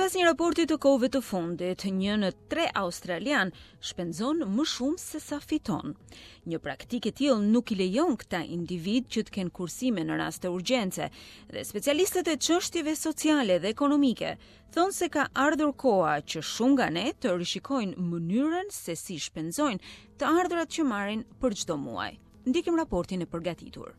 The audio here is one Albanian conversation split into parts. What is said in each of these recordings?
Sipas një raporti të kohëve të fundit, një në tre australianë shpenzon më shumë se sa fiton. Një praktikë e tillë nuk i lejon këta individë që të kenë kursime në raste urgjence dhe specialistët e çështjeve sociale dhe ekonomike thonë se ka ardhur koha që shumë nga ne të rishikojnë mënyrën se si shpenzojnë të ardhurat që marrin për çdo muaj. Ndjekim raportin e përgatitur.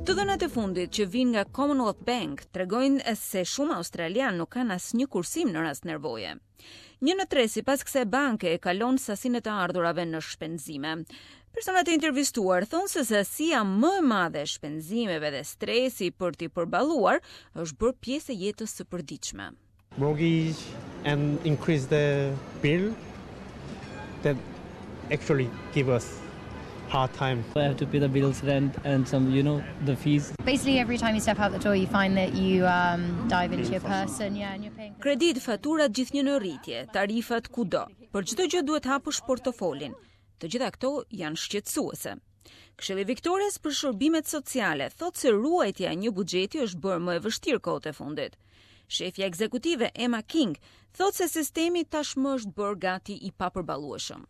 Të dhënat e fundit që vijnë nga Commonwealth Bank tregojnë se shumë australianë nuk kanë asnjë kursim në rast nevoje. Një në tre sipas kësaj banke e kalon sasinë e të ardhurave në shpenzime. Personat e intervistuar thonë se sasia më e madhe e shpenzimeve dhe stresi për t'i përballuar është bërë pjesë e jetës së përditshme. Mortgage and increase the bill that actually give us hard time. I have to pay the bills, rent and some, you know, the fees. Basically every time you step out the door you find that you um, dive into your purse and yeah and you're paying. Kreditë, faturat gjithnjë në rritje, tarifat kudo. Për çdo gjë duhet hapësh portofolin. Të gjitha këto janë shqetësuese. Këshilli i Viktorias për Shërbimet Sociale thotë se ruajtja e një buxheti është bërë më e vështirë kohët e fundit. Shefja ekzekutive Emma King thotë se sistemi tashmë është bërë gati i papërballueshëm.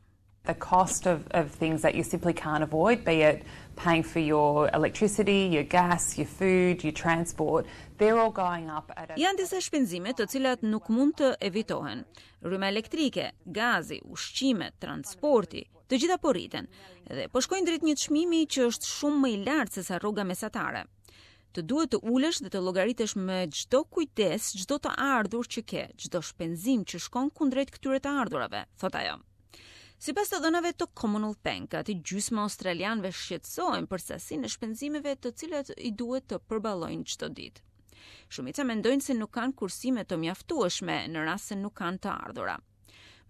The cost of, of things that you simply can't avoid, be it paying for your electricity, your gas, your food, your transport, they're all going up at a Janë disa shpenzime të cilat nuk mund të evitohen. Rryma elektrike, gazi, ushqimet, transporti, të gjitha po rriten dhe po shkojnë drejt një çmimi që është shumë më i lartë se sa rroga mesatare. Të duhet të ulesh dhe të llogaritesh me çdo kujdes, çdo të ardhur që ke, çdo shpenzim që shkon kundrejt këtyre të ardhurave, thotë ajo. Sipas të dhënave të Commonwealth Bank, gati gjysma e australianëve shqetësohen për sasinë e shpenzimeve të cilat i duhet të përballojnë çdo ditë. Shumica mendojnë se nuk kanë kursime të mjaftueshme në rast se nuk kanë të ardhura.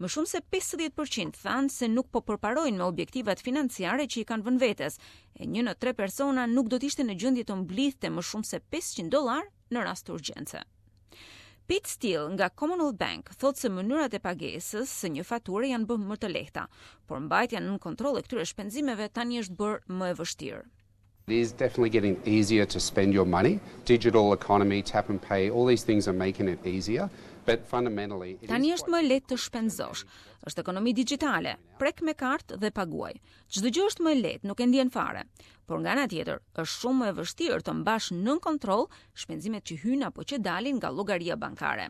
Më shumë se 50% thanë se nuk po përparojnë me objektivat financiare që i kanë vënë vetes, e një në tre persona nuk do të ishte në gjendje të mblidhte më shumë se 500 dollar në rast urgjence. Pete Steele nga Commonwealth Bank thotë se mënyrat e pagesës së një fature janë bërë më të lehta, por mbajtja nën kontroll e këtyre shpenzimeve tani është bërë më e vështirë. It is definitely getting easier to spend your money. Digital economy, tap and pay, all these things are making it easier. But fundamentally, it Tani është më lehtë të shpenzosh. Është ekonomi digjitale, prek me kartë dhe paguaj. Çdo gjë është më e lehtë, nuk e ndjen fare. Por nga ana tjetër, është shumë më e vështirë të mbash nën kontroll shpenzimet që hyjnë apo që dalin nga llogaria bankare.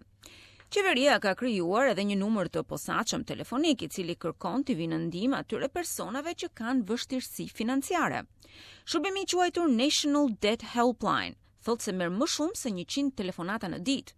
Qeveria ka krijuar edhe një numër të posaçëm telefonik i cili kërkon t'i vinë në ndihmë atyre personave që kanë vështirësi financiare. Shërbimi i quajtur National Debt Helpline thotë se merr më shumë se 100 telefonata në ditë.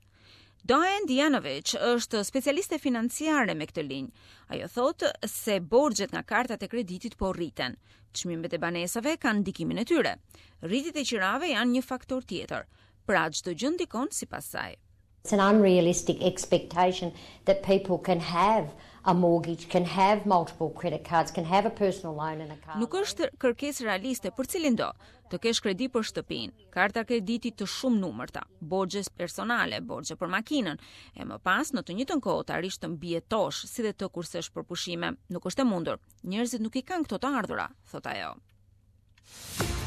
Diane Dijanovic është specialiste financiare me këtë linjë. Ajo thotë se borxhet nga kartat e kreditit po rriten. Çmimet e banesave kanë ndikimin e tyre. Rritjet e qirave janë një faktor tjetër. Pra çdo gjë ndikon sipas saj. It's an unrealistic expectation that people can have a mortgage, can have multiple credit cards, can have a personal loan and a car. Nuk është kërkesë realiste për cilindo të kesh kredi për shtëpinë, karta krediti të shumë numërta, borxhe personale, borxhe për makinën, e më pas në të njëjtën kohë të arrish të mbijetosh si dhe të kursesh për pushime. Nuk është e mundur. Njerëzit nuk i kanë këto të ardhura, thotë ajo.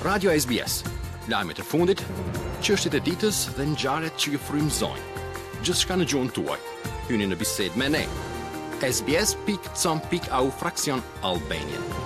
Radio SBS. Lajmet e fundit, çështjet e ditës dhe ngjarjet që ju frymëzojnë. Gjithçka në gjuhën tuaj. Hyni në bisedë me ne. sbs.com.au fraksion Albanian.